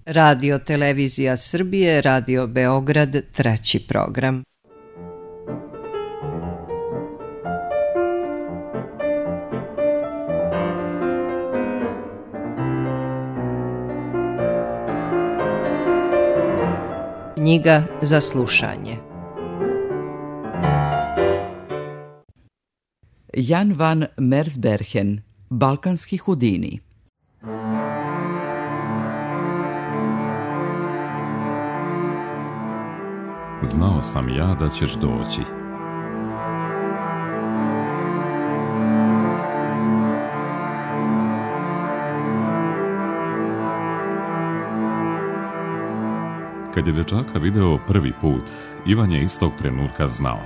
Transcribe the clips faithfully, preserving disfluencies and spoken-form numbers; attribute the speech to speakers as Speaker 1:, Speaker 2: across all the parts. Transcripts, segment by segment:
Speaker 1: Radio Televizija Srbije, Radio Beograd, treći program. Knjiga za slušanje.
Speaker 2: Jan van Mersbergen, Balkanski Hudini.
Speaker 3: Znao sam ja da ćeš doći. Kad je dečaka video prvi put, Ivan je istog trenutka znao.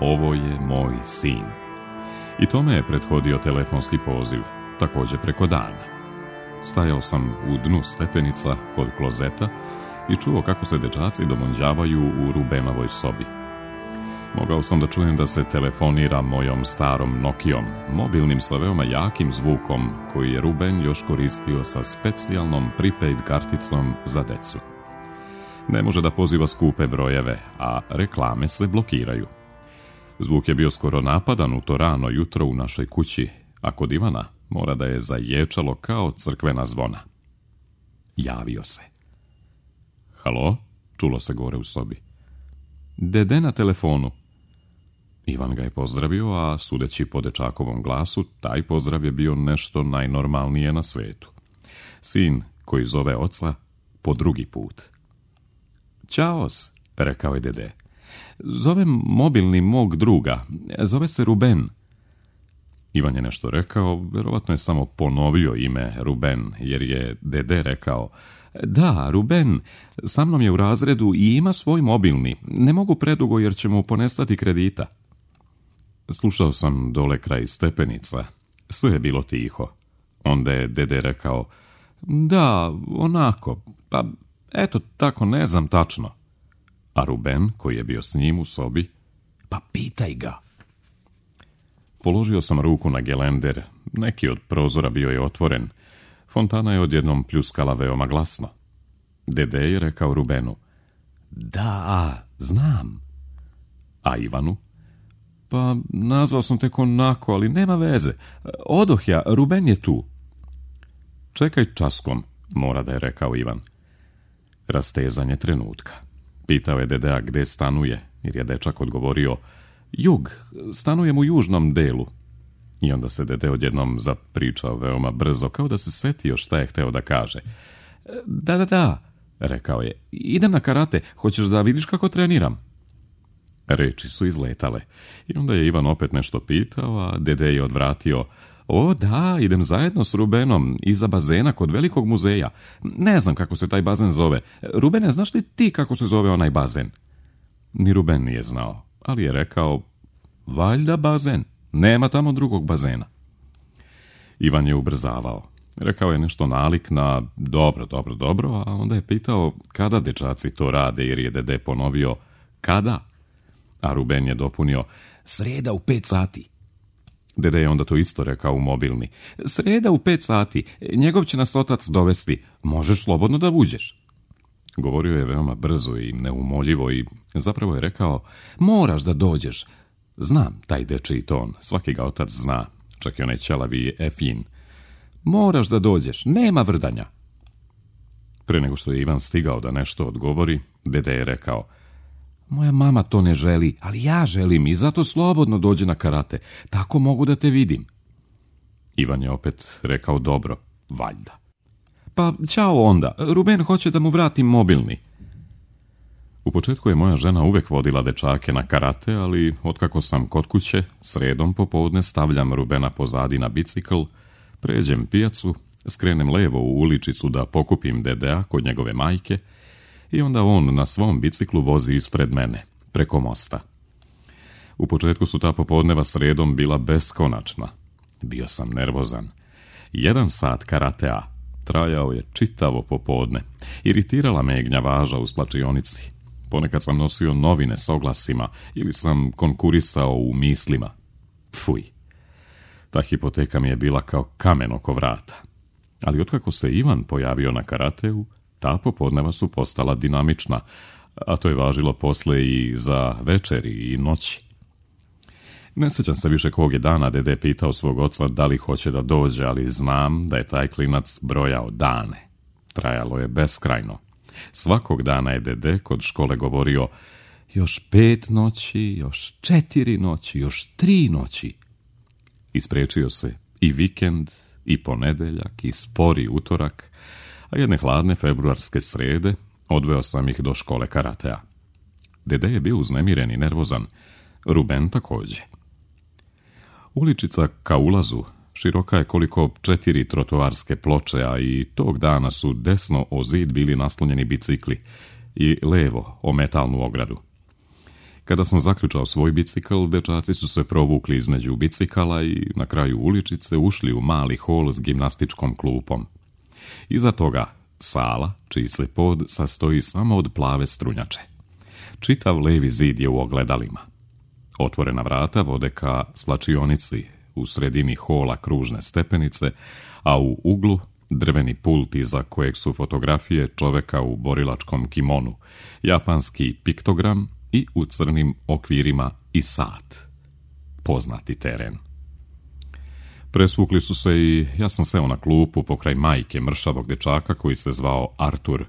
Speaker 3: Ovo je moj sin. I tome je prethodio telefonski poziv, također preko dana. Stajao sam u dnu stepenica kod klozeta i čuo kako se dečaci domonđavaju u Rubenovoj sobi. Mogao sam da čujem da se telefonira mojom starom Nokijom, mobilnim sa veoma jakim zvukom koji je Ruben još koristio sa specijalnom prepaid karticom za decu. Ne može da poziva skupe brojeve, a reklame se blokiraju. Zvuk je bio skoro napadan u to rano jutro u našoj kući, a kod Ivana mora da je zaječalo kao crkvena zvona. Javio se. Halo? Čulo se gore u sobi. Dede na telefonu. Ivan ga je pozdravio, a sudeći po dečakovom glasu, taj pozdrav je bio nešto najnormalnije na svetu. Sin koji zove oca po drugi put. Ćaos, rekao je dede. Zovem mobilni mog druga. Zove se Ruben. Ivan je nešto rekao, verovatno je samo ponovio ime Ruben, jer je dede rekao: Da, Ruben, sa mnom je u razredu i ima svoj mobilni. Ne mogu predugo jer će mu ponestati kredita. Slušao sam dole kraj stepenica. Sve je bilo tiho. Onda je dede rekao: Da, onako, pa eto tako, ne znam tačno. A Ruben, koji je bio s njim u sobi: Pa pitaj ga. Položio sam ruku na gelender. Neki od prozora bio je otvoren. Fontana je odjednom pljuskala veoma glasno. Dede je rekao Rubenu: Da, znam. A Ivanu: Pa nazvao sam tek onako, ali nema veze. Odoh ja, Ruben je tu. Čekaj časkom, mora da je rekao Ivan. Rastezanje trenutka. Pitao je dedea gde stanuje, jer je dečak odgovorio: Jug, stanujem u južnom delu. I onda se dede odjednom zapričao veoma brzo, kao da se setio šta je hteo da kaže. Da, da, da, rekao je, idem na karate, hoćeš da vidiš kako treniram? Reči su izletale. I onda je Ivan opet nešto pitao, a dede je odvratio: O da, idem zajedno s Rubenom iza bazena kod velikog muzeja. Ne znam kako se taj bazen zove. Rubene, znaš li ti kako se zove onaj bazen? Ni Ruben nije znao, ali je rekao: Valjda bazen, nema tamo drugog bazena. Ivan je ubrzavao. Rekao je nešto nalik na dobro, dobro, dobro, a onda je pitao kada dečaci to rade, jer je dede ponovio kada, a Ruben je dopunio: Sreda u pet sati. Dede je onda to isto rekao u mobilni: Sreda u pet sati, njegov će nas otac dovesti, možeš slobodno da uđeš. Govorio je veoma brzo i neumoljivo i zapravo je rekao: Moraš da dođeš. Znam taj dečiji ton, svaki ga otac zna, čak i onaj ćelavi Efin. Moraš da dođeš, nema vrdanja. Pre nego što je Ivan stigao da nešto odgovori, dede je rekao: Moja mama to ne želi, ali ja želim i zato slobodno dođe na karate, tako mogu da te vidim. Ivan je opet rekao: Dobro, valjda. Pa, ćao onda, Ruben hoće da mu vratim mobilni. U početku je moja žena uvek vodila dečake na karate, ali otkako sam kod kuće, sredom popodne stavljam Rubena pozadi na bicikl, pređem pijacu, skrenem levo u uličicu da pokupim dedea kod njegove majke i onda on na svom biciklu vozi ispred mene, preko mosta. U početku su ta popodneva sredom bila beskonačna. Bio sam nervozan. Jedan sat karatea trajao je čitavo popodne. Iritirala me je gnjavaža u splačionici. Ponekad sam nosio novine s oglasima ili sam konkurisao u mislima. Fuj. Ta hipoteka mi je bila kao kamen oko vrata. Ali otkako se Ivan pojavio na karateu, ta popodneva su postala dinamična, a to je važilo posle i za večeri i noći. Ne sjećam se više kog je dana dede pitao svog oca da li hoće da dođe, ali znam da je taj klinac brojao dane. Trajalo je beskrajno. Svakog dana je dede kod škole govorio još pet noći, još četiri noći, još tri noći. Ispriječio se i vikend, i ponedeljak, i spori utorak, a jedne hladne februarske srede odveo sam ih do škole karatea. Dede je bio uznemiren i nervozan, Ruben također. Uličica ka ulazu široka je koliko četiri trotoarske ploče, a i tog dana su desno o zid bili naslonjeni bicikli i levo o metalnu ogradu. Kada sam zaključao svoj bicikl, dečaci su se provukli između bicikala i na kraju uličice ušli u mali hol s gimnastičkom klupom. Iza toga sala, čiji se pod sastoji samo od plave strunjače. Čitav levi zid je u ogledalima. Otvorena vrata vode ka svlačionici, u sredini hola kružne stepenice, a u uglu drveni pult iza kojeg su fotografije čoveka u borilačkom kimonu, japanski piktogram i u crnim okvirima i sat. Poznati teren. Presvukli su se i ja sam seo na klupu pokraj majke mršavog dečaka koji se zvao Artur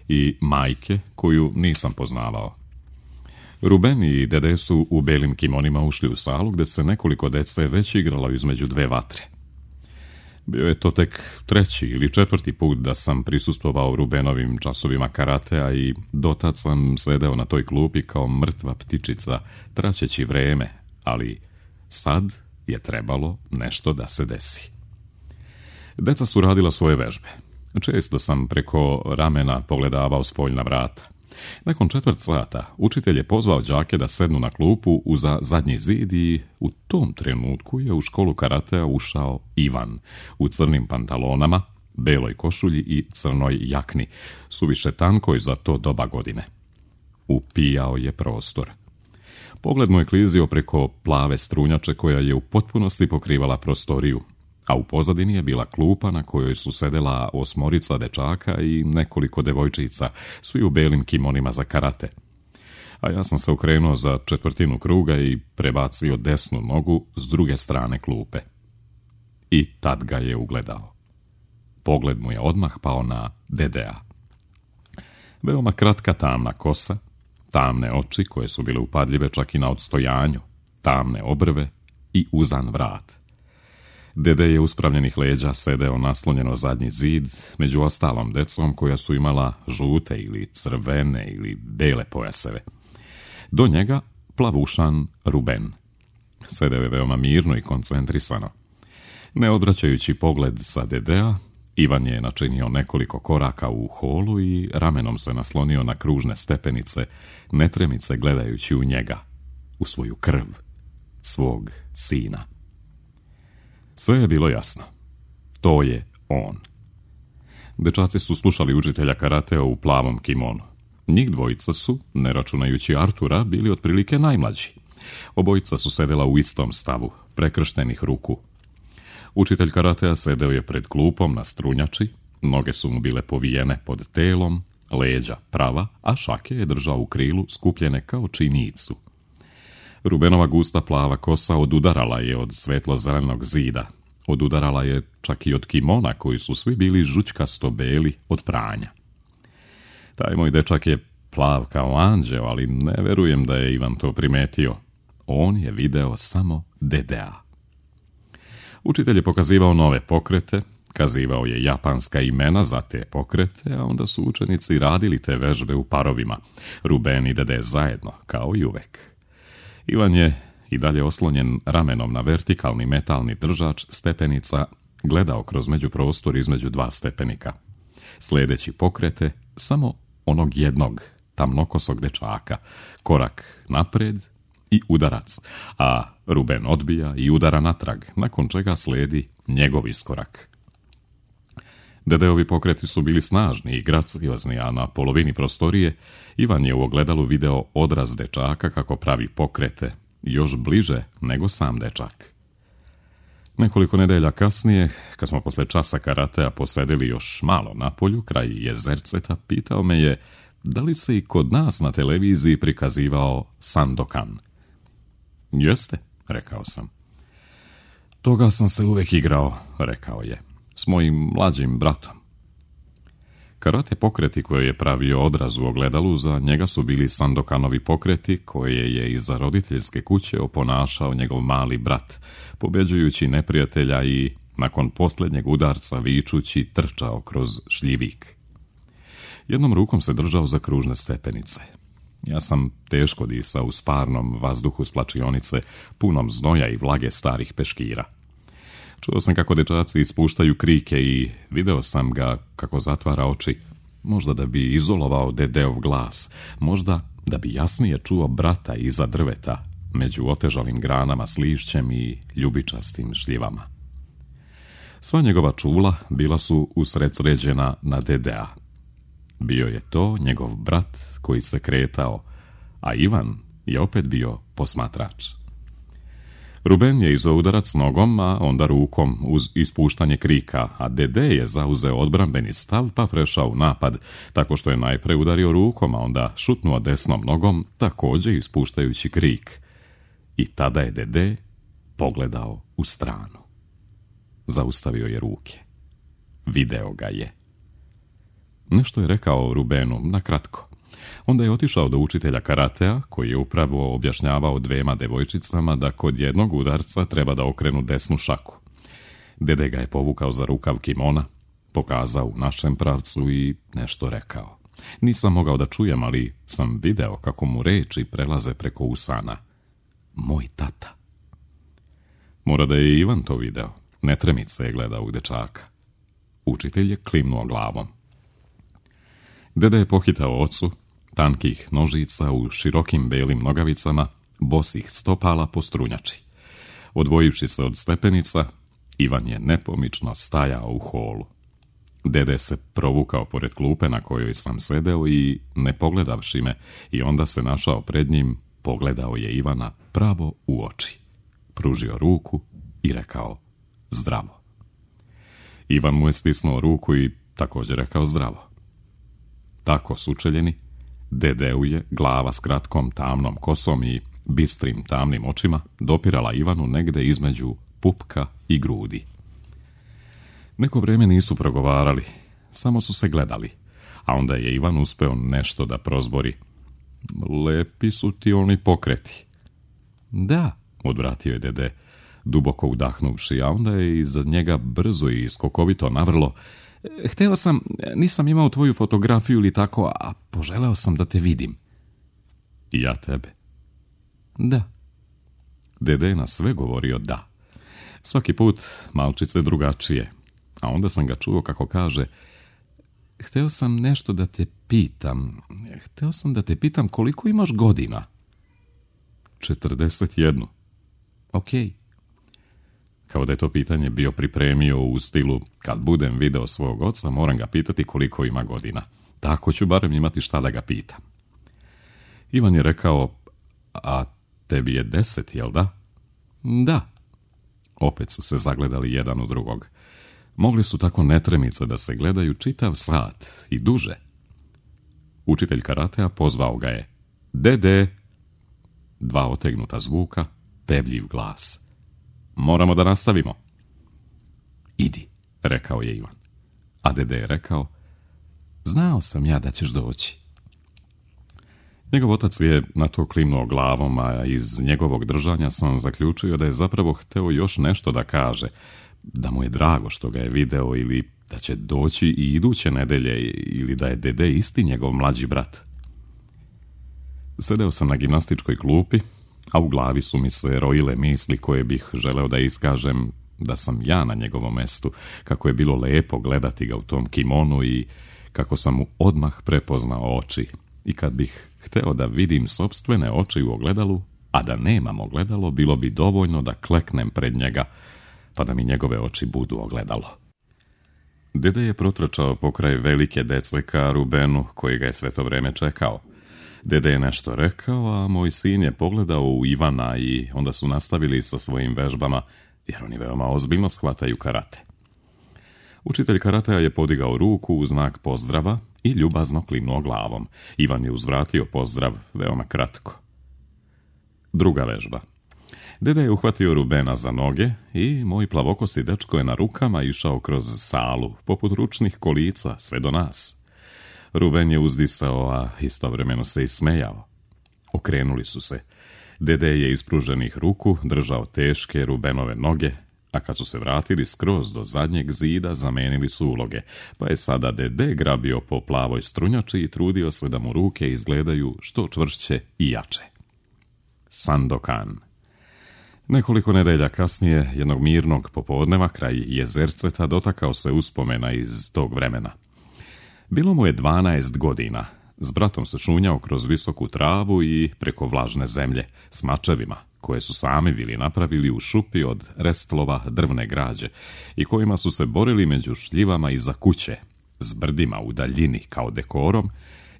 Speaker 3: i majke koju nisam poznavao. Ruben i dede su u belim kimonima ušli u salu gdje se nekoliko dece već igralo između dve vatre. Bio je to tek treći ili četvrti put da sam prisustvovao Rubenovim časovima karatea i dotad sam sedeo na toj klupi kao mrtva ptičica, traćeći vreme, ali sad je trebalo nešto da se desi. Deca su radila svoje vežbe. Često sam preko ramena pogledavao spoljna vrata. Nakon četvrt sata učitelj je pozvao đake da sednu na klupu uza zadnji zid i u tom trenutku je u školu karatea ušao Ivan u crnim pantalonama, beloj košulji i crnoj jakni, suviše tankoj za to doba godine. Upijao je prostor. Pogled mu je klizio preko plave strunjače koja je u potpunosti pokrivala prostoriju, a u pozadini je bila klupa na kojoj su sedela osmorica dečaka i nekoliko devojčica, svi u belim kimonima za karate. A ja sam se okrenuo za četvrtinu kruga i prebacio desnu nogu s druge strane klupe. I tad ga je ugledao. Pogled mu je odmah pao na dedea. Veoma kratka tamna kosa, tamne oči koje su bile upadljive čak i na odstojanju, tamne obrve i uzan vrat. Dede je uspravljenih leđa sedeo naslonjeno zadnji zid, među ostalom decom koja su imala žute ili crvene ili bele pojaseve. Do njega plavušan Ruben. Sedeo je veoma mirno i koncentrisano. Ne odvraćajući pogled sa dedea, Ivan je načinio nekoliko koraka u holu i ramenom se naslonio na kružne stepenice, netremice gledajući u njega, u svoju krv, svog sina. Sve je bilo jasno. To je on. Dečaci su slušali učitelja karatea u plavom kimonu. Njih dvojica su, ne računajući Artura, bili otprilike najmlađi. Obojica su sedela u istom stavu, prekrštenih ruku. Učitelj karatea sedeo je pred klupom na strunjači, noge su mu bile povijene pod telom, leđa prava, a šake je držao u krilu skupljene kao činicu. Rubenova gusta plava kosa odudarala je od svetlo-zelenog zida. Odudarala je čak i od kimona koji su svi bili žućkasto beli od pranja. Taj moj dečak je plav kao anđeo, ali ne verujem da je Ivan to primetio. On je video samo dedea. Učitelj je pokazivao nove pokrete, kazivao je japanska imena za te pokrete, a onda su učenici radili te vežbe u parovima. Ruben i dede zajedno, kao i uvek. Ivan je i dalje oslonjen ramenom na vertikalni metalni držač stepenica gledao kroz međuprostor između dva stepenika. Sledeći pokrete samo onog jednog tamnokosog dečaka, korak napred i udarac, a Ruben odbija i udara natrag, nakon čega sledi njegov iskorak. Dedeovi pokreti su bili snažni i graciozni, a na polovini prostorije Ivan je u ogledalu video odraz dečaka kako pravi pokrete, još bliže nego sam dečak. Nekoliko nedelja kasnije, kad smo posle časa karatea posedili još malo na polju, kraj jezerceta, pitao me je da li se i kod nas na televiziji prikazivao Sandokan. Jeste, rekao sam. Toga sam se uvek igrao, rekao je, s mojim mlađim bratom. Karate pokreti koje je pravio odraz u ogledalu, za njega su bili Sandokanovi pokreti koje je iza roditeljske kuće oponašao njegov mali brat, pobeđujući neprijatelja i, nakon posljednjeg udarca vičući, trčao kroz šljivik. Jednom rukom se držao za kružne stepenice. Ja sam teško disao u sparnom vazduhu s plačionice, punom znoja i vlage starih peškira. Čuo sam kako dečaci ispuštaju krike i video sam ga kako zatvara oči, možda da bi izolovao dedeov glas, možda da bi jasnije čuo brata iza drveta, među otežalim granama s lišćem i ljubičastim šljivama. Sva njegova čula bila su usredsređena na dedea. Bio je to njegov brat koji se kretao, a Ivan je opet bio posmatrač. Ruben je izveo udarac nogom, a onda rukom uz ispuštanje krika, a Dede je zauzeo odbrambeni stav pa prešao u napad, tako što je najpre udario rukom, a onda šutnuo desnom nogom, također ispuštajući krik. I tada je Dede pogledao u stranu. Zaustavio je ruke. Video ga je. Nešto je rekao Rubenu, na kratko. Onda je otišao do učitelja karatea, koji je upravo objašnjavao dvema devojčicama da kod jednog udarca treba da okrenu desnu šaku. Dede ga je povukao za rukav kimona, pokazao u našem pravcu i nešto rekao. Nisam mogao da čujem, ali sam video kako mu reči prelaze preko usana. Moj tata. Mora da je Ivan to video. Netremica je gledao u dečaka. Učitelj je klimnuo glavom. Dede je pohitao ocu, tankih nožica u širokim belim nogavicama, bosih stopala po strunjači. Odvojivši se od stepenica, Ivan je nepomično stajao u holu. Dede se provukao pored klupe na kojoj sam sedeo i, ne pogledavši me, i onda se našao pred njim, pogledao je Ivana pravo u oči. Pružio ruku i rekao zdravo. Ivan mu je stisnuo ruku i također rekao zdravo. Tako sučeljeni, Dedeu je glava s kratkom tamnom kosom i bistrim tamnim očima dopirala Ivanu negde između pupka i grudi. Neko vrijeme nisu progovarali, samo su se gledali, a onda je Ivan uspeo nešto da prozbori. Lepi su ti oni pokreti. Da, odvratio je Dede, duboko udahnuvši, a onda je iza njega brzo i skokovito navrlo. Hteo sam, nisam imao tvoju fotografiju ili tako, a poželeo sam da te vidim. I ja tebe? Da. Dede je na sve govorio da. Svaki put malčice drugačije, a onda sam ga čuo kako kaže, hteo sam nešto da te pitam, hteo sam da te pitam koliko imaš godina? četrdeset jednu. Okej. Kao da je to pitanje bio pripremio u stilu, kad budem video svog oca, moram ga pitati koliko ima godina. Tako ću barem imati šta da ga pitam. Ivan je rekao, a tebi je deset, jel da? Da. Opet su se zagledali jedan u drugog. Mogli su tako netremice da se gledaju čitav sat i duže. Učitelj karatea pozvao ga je. Dede! Dva otegnuta zvuka, pevljiv glas. Moramo da nastavimo. Idi, rekao je Ivan. A Dede je rekao, znao sam ja da ćeš doći. Njegov otac je na to klimnuo glavom, a iz njegovog držanja sam zaključio da je zapravo hteo još nešto da kaže, da mu je drago što ga je video ili da će doći i iduće nedelje ili da je Dede isti njegov mlađi brat. Sedeo sam na gimnastičkoj klupi, a u glavi su mi se rojile misli koje bih želeo da iskažem da sam ja na njegovom mestu, kako je bilo lepo gledati ga u tom kimonu i kako sam mu odmah prepoznao oči. I kad bih hteo da vidim sopstvene oči u ogledalu, a da nemam ogledalo, bilo bi dovoljno da kleknem pred njega, pa da mi njegove oči budu ogledalo. Dede je protrčao pokraj velike dece ka Rubenu, koji ga je sve to vreme čekao. Dede je nešto rekao, a moj sin je pogledao u Ivana i onda su nastavili sa svojim vežbama, jer oni veoma ozbiljno shvataju karate. Učitelj karatea je podigao ruku u znak pozdrava i ljubazno klimnuo glavom. Ivan je uzvratio pozdrav veoma kratko. Druga vežba. Deda je uhvatio Rubena za noge i moj plavokosi dečko je na rukama išao kroz salu, poput ručnih kolica, sve do nas. Ruben je uzdisao, a istovremeno se i smejao. Okrenuli su se. Dede je ispruženih ruku držao teške Rubenove noge, a kad su se vratili skroz do zadnjeg zida, zamenili su uloge, pa je sada Dede grabio po plavoj strunjači i trudio se da mu ruke izgledaju što čvršće i jače. Sandokan. Nekoliko nedelja kasnije, jednog mirnog popodneva kraj Jezerceta, dotakao se uspomena iz tog vremena. Bilo mu je dvanaest godina. S bratom se šunjao kroz visoku travu i preko vlažne zemlje s mačevima, koje su sami bili napravili u šupi od restlova drvne građe i kojima su se borili među šljivama iza kuće, s brdima u daljini kao dekorom,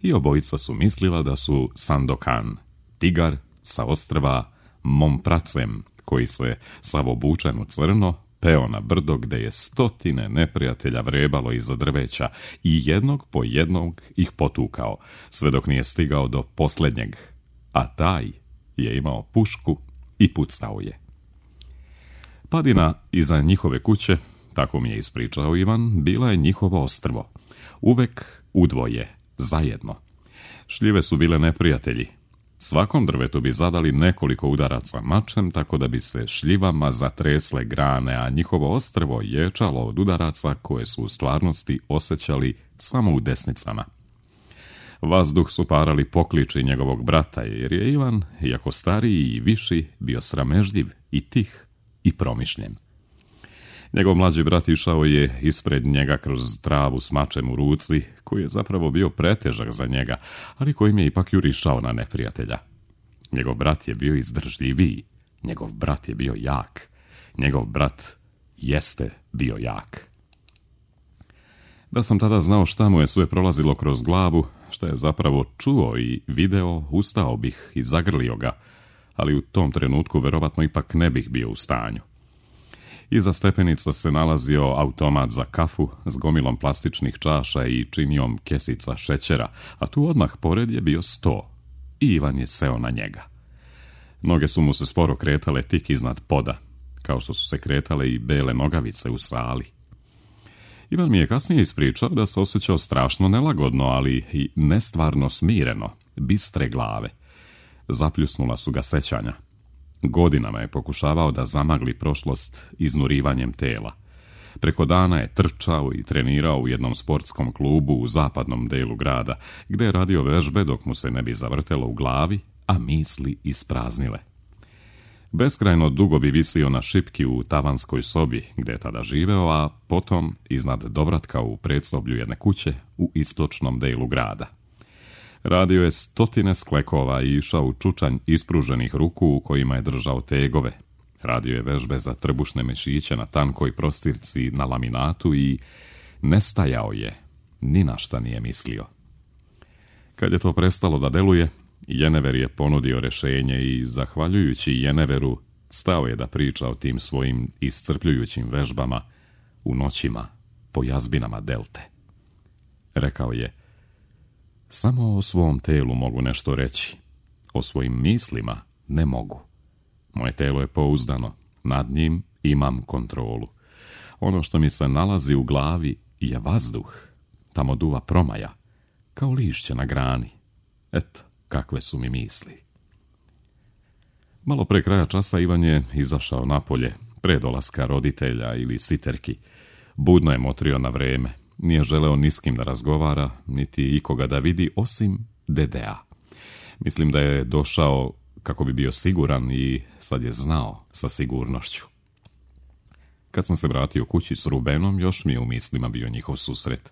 Speaker 3: i obojica su mislila da su Sandokan, tigar sa ostrva Mompracem, koji se sav obučen u crno peo na brdo gde je stotine neprijatelja vrebalo iza drveća i jednog po jednog ih potukao, sve dok nije stigao do posljednjeg, a taj je imao pušku i pucao je. Padina iza njihove kuće, tako mi je ispričao Ivan, bila je njihovo ostrvo. Uvek udvoje, zajedno. Šljive su bile neprijatelji. Svakom drvetu bi zadali nekoliko udaraca mačem, tako da bi se šljivama zatresle grane, a njihovo ostrvo ječalo od udaraca koje su u stvarnosti osjećali samo u desnicama. Vazduh su parali pokliči njegovog brata, jer je Ivan, iako stariji i viši, bio sramežljiv i tih i promišljen. Njegov mlađi brat išao je ispred njega kroz travu s mačem u ruci, koji je zapravo bio pretežak za njega, ali kojim je ipak jurišao na neprijatelja. Njegov brat je bio izdržljiviji, njegov brat je bio jak, njegov brat jeste bio jak. Da sam tada znao šta mu je sve prolazilo kroz glavu, šta je zapravo čuo i video, ustao bih i zagrlio ga, ali u tom trenutku verovatno ipak ne bih bio u stanju. Iza stepenica se nalazio automat za kafu s gomilom plastičnih čaša i činijom kesica šećera, a tu odmah pored je bio sto i Ivan je seo na njega. Noge su mu se sporo kretale tik iznad poda, kao što su se kretale i bele nogavice u sali. Ivan mi je kasnije ispričao da se osjećao strašno nelagodno, ali i nestvarno smireno, bistre glave. Zapljusnula su ga sećanja. Godinama je pokušavao da zamagli prošlost iznurivanjem tela. Preko dana je trčao i trenirao u jednom sportskom klubu u zapadnom delu grada, gde je radio vežbe dok mu se ne bi zavrtelo u glavi, a misli ispraznile. Beskrajno dugo bi visio na šipki u tavanskoj sobi gde je tada živeo, a potom iznad dovratka u predsoblju jedne kuće u istočnom delu grada. Radio je stotine sklekova i išao u čučanj ispruženih ruku u kojima je držao tegove. Radio je vežbe za trbušne mešiće na tankoj prostirci na laminatu i nestajao je, ni na šta nije mislio. Kad je to prestalo da deluje, Jenever je ponudio rešenje i, zahvaljujući Jeneveru, stao je da priča o tim svojim iscrpljujućim vežbama u noćima po jazbinama delte. Rekao je: samo o svom telu mogu nešto reći, o svojim mislima ne mogu. Moje telo je pouzdano, nad njim imam kontrolu. Ono što mi se nalazi u glavi je vazduh, tamo duva promaja, kao lišće na grani. Eto, kakve su mi misli. Malo pre kraja časa Ivan je izašao napolje, pre dolaska roditelja ili siterki. Budno je motrio na vreme, nije želeo ni s kim da razgovara, niti ikoga da vidi, osim Dedea. Mislim da je došao kako bi bio siguran i sad je znao sa sigurnošću. Kad sam se vratio kući s Rubenom, još mi je u mislima bio njihov susret.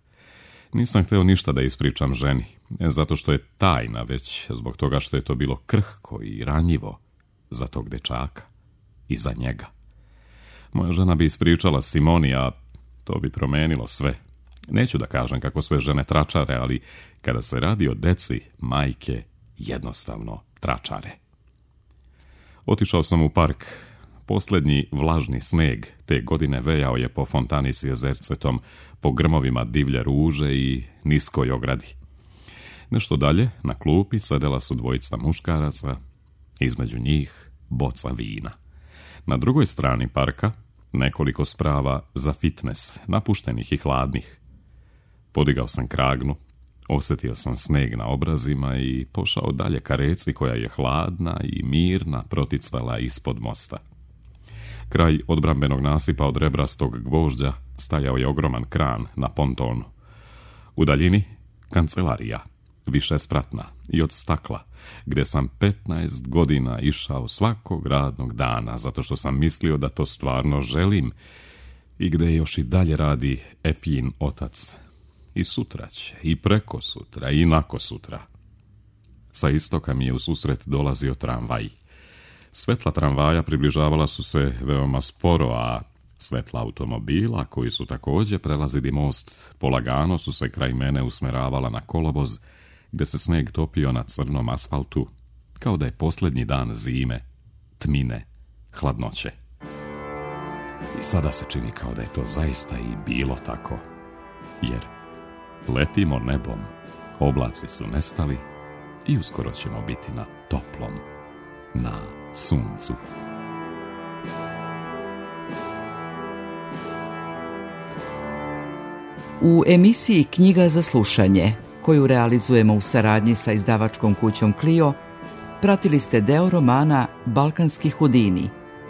Speaker 3: Nisam hteo ništa da ispričam ženi, ne zato što je tajna, već zbog toga što je to bilo krhko i ranjivo za tog dečaka i za njega. Moja žena bi ispričala Simoni, a to bi promenilo sve. Neću da kažem kako sve žene tračare, ali kada se radi o deci, majke jednostavno tračare. Otišao sam u park, Posljednji vlažni sneg te godine vejao je po fontani s jezercetom, po grmovima divlje ruže i niskoj ogradi. Nešto dalje, na klupi, sedela su dvojica muškaraca, između njih boca vina. Na drugoj strani parka nekoliko sprava za fitnes, napuštenih i hladnih. Podigao sam kragnu, osjetio sam sneg na obrazima i pošao dalje ka reci koja je hladna i mirna proticala ispod mosta. Kraj odbrambenog nasipa od rebrastog gvožđa stajao je ogroman kran na pontonu. U daljini kancelarija, višespratna i od stakla, gdje sam petnaest godina išao svakog radnog dana, zato što sam mislio da to stvarno želim i gdje još i dalje radi Efin otac. I sutra će, i preko sutra, i nako sutra. Sa istoka mi je u susret dolazio tramvaj. Svetla tramvaja približavala su se veoma sporo, a svetla automobila, koji su također prelazili most, polagano su se kraj mene usmeravala na kolovoz, gdje se sneg topio na crnom asfaltu, kao da je posljednji dan zime, tmine, hladnoće. I sada se čini kao da je to zaista i bilo tako, jer letimo nebom, oblaci su nestali i uskoro ćemo biti na toplom, na suncu.
Speaker 2: U emisiji Knjiga za slušanje, koju realizujemo u saradnji sa izdavačkom kućom Clio, pratili ste deo romana Balkanski hudini,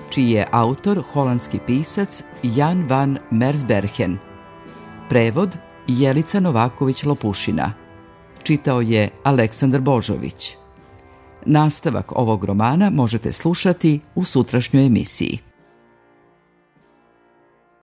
Speaker 2: čiji je autor holandski pisac Jan van Mersbergen. Prevod Jelica Novaković-Lopušina. Čitao je Aleksandar Božović. Nastavak ovog romana možete slušati u sutrašnjoj emisiji.